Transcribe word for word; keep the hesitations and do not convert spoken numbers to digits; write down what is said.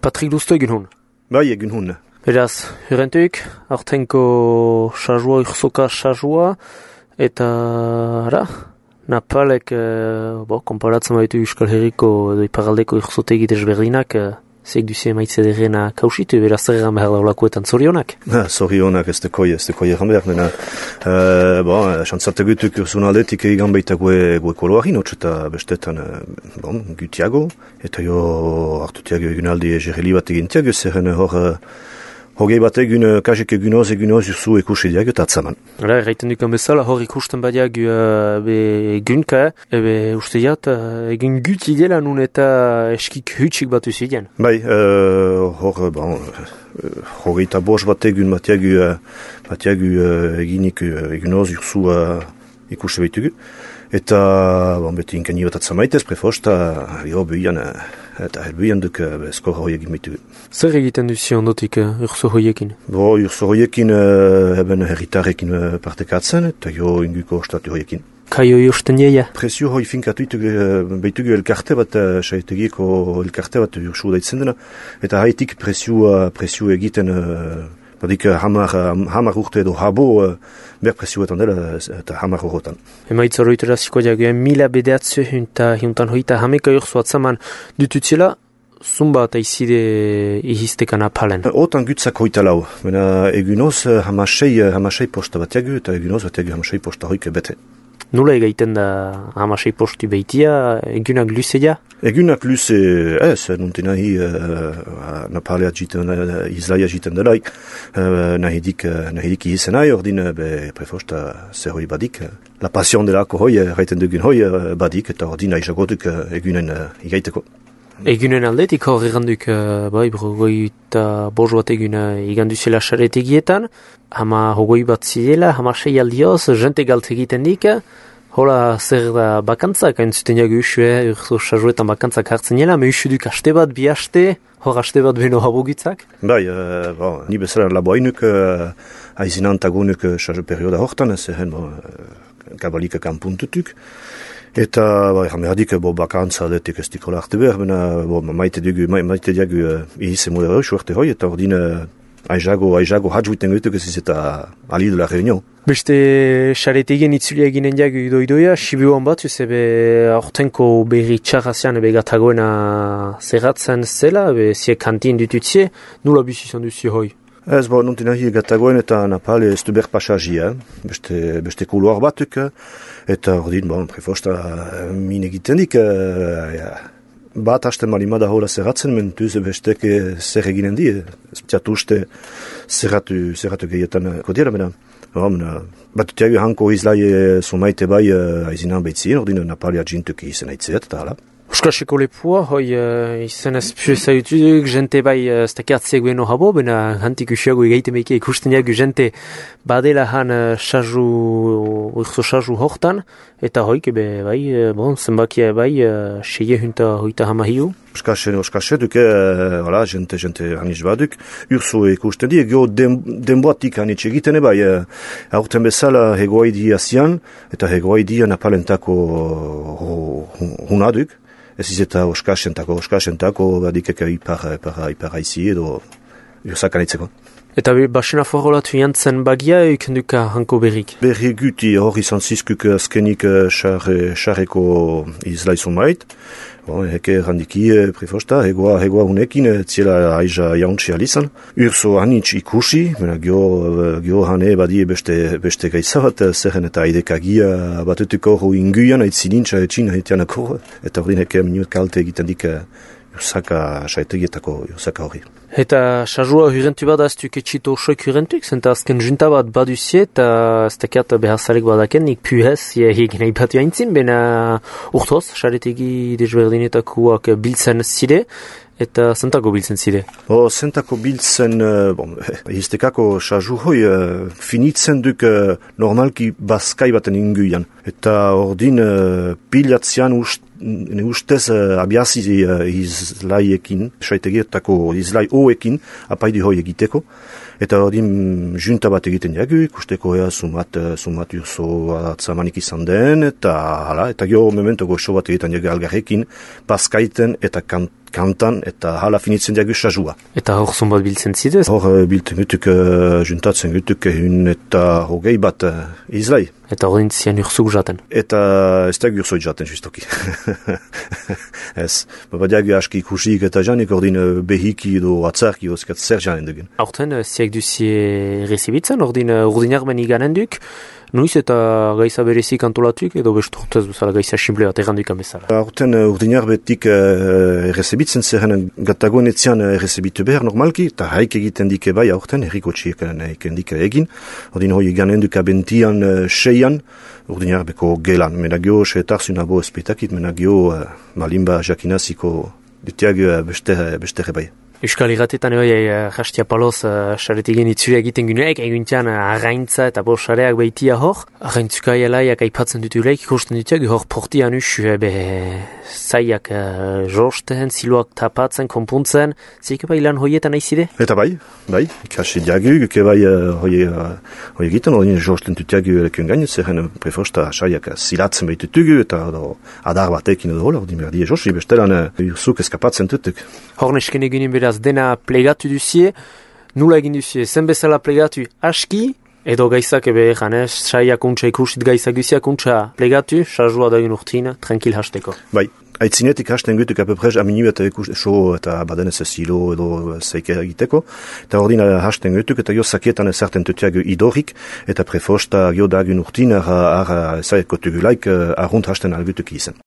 Patrik duztu egin hun? Bai, egin hun. Beraz, hurrentuik, aurtenko sajua, urzoka sajua, eta, ara, Napalek, eh, bo, konparatzen baitu Euskal Herriko edo iparaldeko urzotegi desberdinak, eh, zeik duzi emaitze derrena kausitu, beraz zer egan behar daulakoetan zorionak? Ha, zorionak ez dekoi, ez dekoi egan behar, nena, uh, bon, xantzarte gutuk urzun aldetik egan baita gue, gue koloari notx, eta bestetan, uh, bon, gutiago, eta jo hartutiago egun aldi egereli bat egintiago, zerren hor, uh, hogei bat egun, kasik egunoz, egunoz urzu ekusi diag eta atzaman. Hala, erraiten dukan bezala, hor ikusten badiag uh, be egunka, ebe uste jat, uh, egun gut idela nun eta eskik hutsik batu zidean. Bai, uh, hor, bon, hogei eta bos bat egun batiagu, uh, batiagu uh, eginik uh, egunoz urzu uh, ikusi behitugu. Eta, bon, beti inkani bat atzamaitez, prefosta, jo, buian, eta helbuian duk skor hoiek imitu. Zer egiten duzi ondotik uh, urzo hoiekin? Bo, urzo hoiekin uh, eben herritarekin uh, partekatzen, eta jo inguko ostatu hoiekin. Kaio josten jeia? Presio hoi finkatu itugu, uh, behitugu elkarte bat, uh, saetegiko elkarte bat ursu daitzen dena, eta haitik presio, uh, presio egiten, uh, badik uh, hamar, uh, hamar urte edo habo, uh, ber presioetan dela, eta hamar horretan. Emaitz horretara ziko diaguen, mila bedeatzu eta hiuntan hoita hameka urzu atzaman dututzela, zumba eta izide ihiztekan apalen. Otan gutzak hoita lau, mena egunoz hamasei, hamasei posta batiagu, eta egunoz batiagu hamasei posta hoike bete. Nula egaiten da hamasei posti behitia, egunak luzeia? Egunak luze, ez, nunti nahi uh, napalea jiten, uh, izlaia jiten delaik, uh, nahi dik, uh, nahi dik ihizen nahi, ordin, be, prefosta zer hoi badik. La passion delako hoi, gaiten dugun hoi uh, badik, eta ordin nahi jagotuk uh, egunen uh, igaiteko. Egunen aldetik hor eganduk, uh, bai, brogoi eta boz bat eguna iganduzela xaretegietan, hama hogoi bat zidela, hama sei aldioz, jente galt egiten dik, hola zer da bakantzak, hain zuten jagu usue, urzo sajuetan bakantzak hartzen jela, me usuduk aste bat, bi aste, hor aste bat beno habogitzak? Bai, uh, bon, ni bezala laboinuk, uh, aizinan tagunuk uh, saju perioda hortan, zehen, bon, uh, kabalik kanpuntutuk. Eta, bai, jamerdik, bo, bakantza detik ez dikola arte behar, bena, bo, maite dugu, maite diagu uh, ihize modera suerte hoi, eta ordin, uh, aizago, aizago hadjuiten gaituk ez eta ali de la reunion. Beste xaretegen itzulia eginen diagu idoidoia, sibuan bat, zebe aurtenko berri txarrazian ebe gatagoena zerratzen zela, ebe zie kantin ditutzie, nula bizizan duzi hoi? Ez, bo, nunti nahi gatagoen eta napale ez du berpaxagia, beste, beste kuluar batuk, eta ordin, bon, prefosta min egiten dik, uh, ja, bat hasten malimada hola zerratzen, mentuz besteke zer eginen di, ez betiatu uste zerratu, zerratu gehietan kodiera, bena, bat utiagu hanko izlai sumaite bai uh, aizinan behitzien, ordin napale adjintuk izan aitzeat, eta hala. Euskaseko lepua, hoi uh, izan ez pio zaututuk, jente bai uh, stakiatzea guen habo, bena hantik usiago egaite meike ikusten jagu jente badela han uh, xaju, urzo xaju hortan, eta hoik ebe bai, uh, bon, zenbakia bai, uh, seie hunta hoita hama hiu. Euskasen, euskasen duke, uh, voilà, jente, jente hanitz baduk, urzo ikusten di, gero den, denboatik hanitz egiten bai, uh, aurten bezala hegoaidi azian, eta hegoaidi napalentako uh, hunaduk, ez izeta oskasentako, oskasentako badikeka ipar, ipar, ipar aizi edo josakanitzeko. Eta basena forolatu jantzen bagia eukenduka hanko berrik? Berri guti hor izan zizkuk azkenik xarreko izlaizun mait. Bon, heke randiki prefosta, hegoa, hegoa hunekin, ziela aiza jauntzi alizan. Urso hanitz ikusi, mena gio, gio hane badi beste, beste gaizabat, zerren eta aidekagia batutuko hori inguian, aitzilintza etxin haitianako, eta hori heke minut kalte egiten dik Iosaka saetegietako Iosaka hori. Eta sajua hurrentu bat aztuk etxito osoik hurrentuk, zenta azken junta bat baduzie, eta ez dakiat behazarek badaken, nik puhez, egin nahi batu haintzin, bena urtoz, saretegi desberdinetakoak biltzen zide, eta zentako biltzen zide? O, zentako biltzen, bon, iztekako saju hoi, finitzen duk normalki bazkai baten inguian. Eta ordin pilatzean ust, ne ustez abiazi izlaiekin, saitegietako izlai hoekin, apaidi hoi egiteko. Eta ordin junta bat egiten jagu, ikusteko ea sumat, sumat urso atzamanik izan den, eta hala, eta gero memento goxo bat egiten jagu algarrekin, bazkaiten eta kant, kantan, eta hala finitzen diagu sajua. Eta hor zonbat biltzen zidez? Hor uh, biltzen gutuk, uh, juntatzen gutuk ehun eta hogei bat uh, izlai. Eta hor dintzian urzuk jaten? Eta ez da gurzoi jaten, justoki. Ez, baba diagu aski ikusik eta janik ordin uh, behiki edo atzarki ozkat zer janen dugun. Horten, uh, ziak duzie rezibitzen, ordin uh, urdinak ben iganen duk, nuiz eta gaiza berezik antolatuk, edo bestu urtez duzala gaiza simple bat erranduik amezala? Horten uh, urdinak betik uh, errezibitzen zerren gatagoen etzian uh, errezibitu behar normalki, eta haik egiten dike bai horten, erriko txiek egiten dike egin, ordin hoi ganen duk abentian uh, seian, urdinak beko gelan, menagio seetarzun abo espetakit, menagio uh, malimba jakinaziko dutiag uh, beste, beste bai. Euskal Irratetan hoi, jastia paloz, xaretigen itzure egiten guneak, eguntian arraintza eta bo xareak behitia hor. Arraintzuka elaiak aipatzen dutulaik, ikusten dutiak, hor portian us, be, zaiak uh, josten, ziloak tapatzen, konpuntzen, zeike bai lan hoietan aizide? Eta bai, bai, ikasi diagu, ke bai uh, hoi, uh, hoi egiten, hori josten dutiagu lekun gaino, zerren prefosta xaiak zilatzen behitutugu, eta do, adar batekin edo hola, hori merdi josi, bestelan uh, urzuk eskapatzen tutuk. Hor nesken egunin beraz dena plegatu duzie, nula egin duzie, zen bezala plegatu aski, edo gaizak ebe janez, saiak untsa ikusit gaizak duziak untsa plegatu, sajua dagun urtina, tranquil hasteko. Bai, aitzinetik hasten gutuk apeprez amini eta ikus so eta badenez zilo edo zeike egiteko, eta ordin hasten gutuk eta jo sakietan ezarten tutiago idorik, eta prefosta jo dagun urtina ar, ar, ar, ar, ar, ar, ar, ar, ar, ar, ar,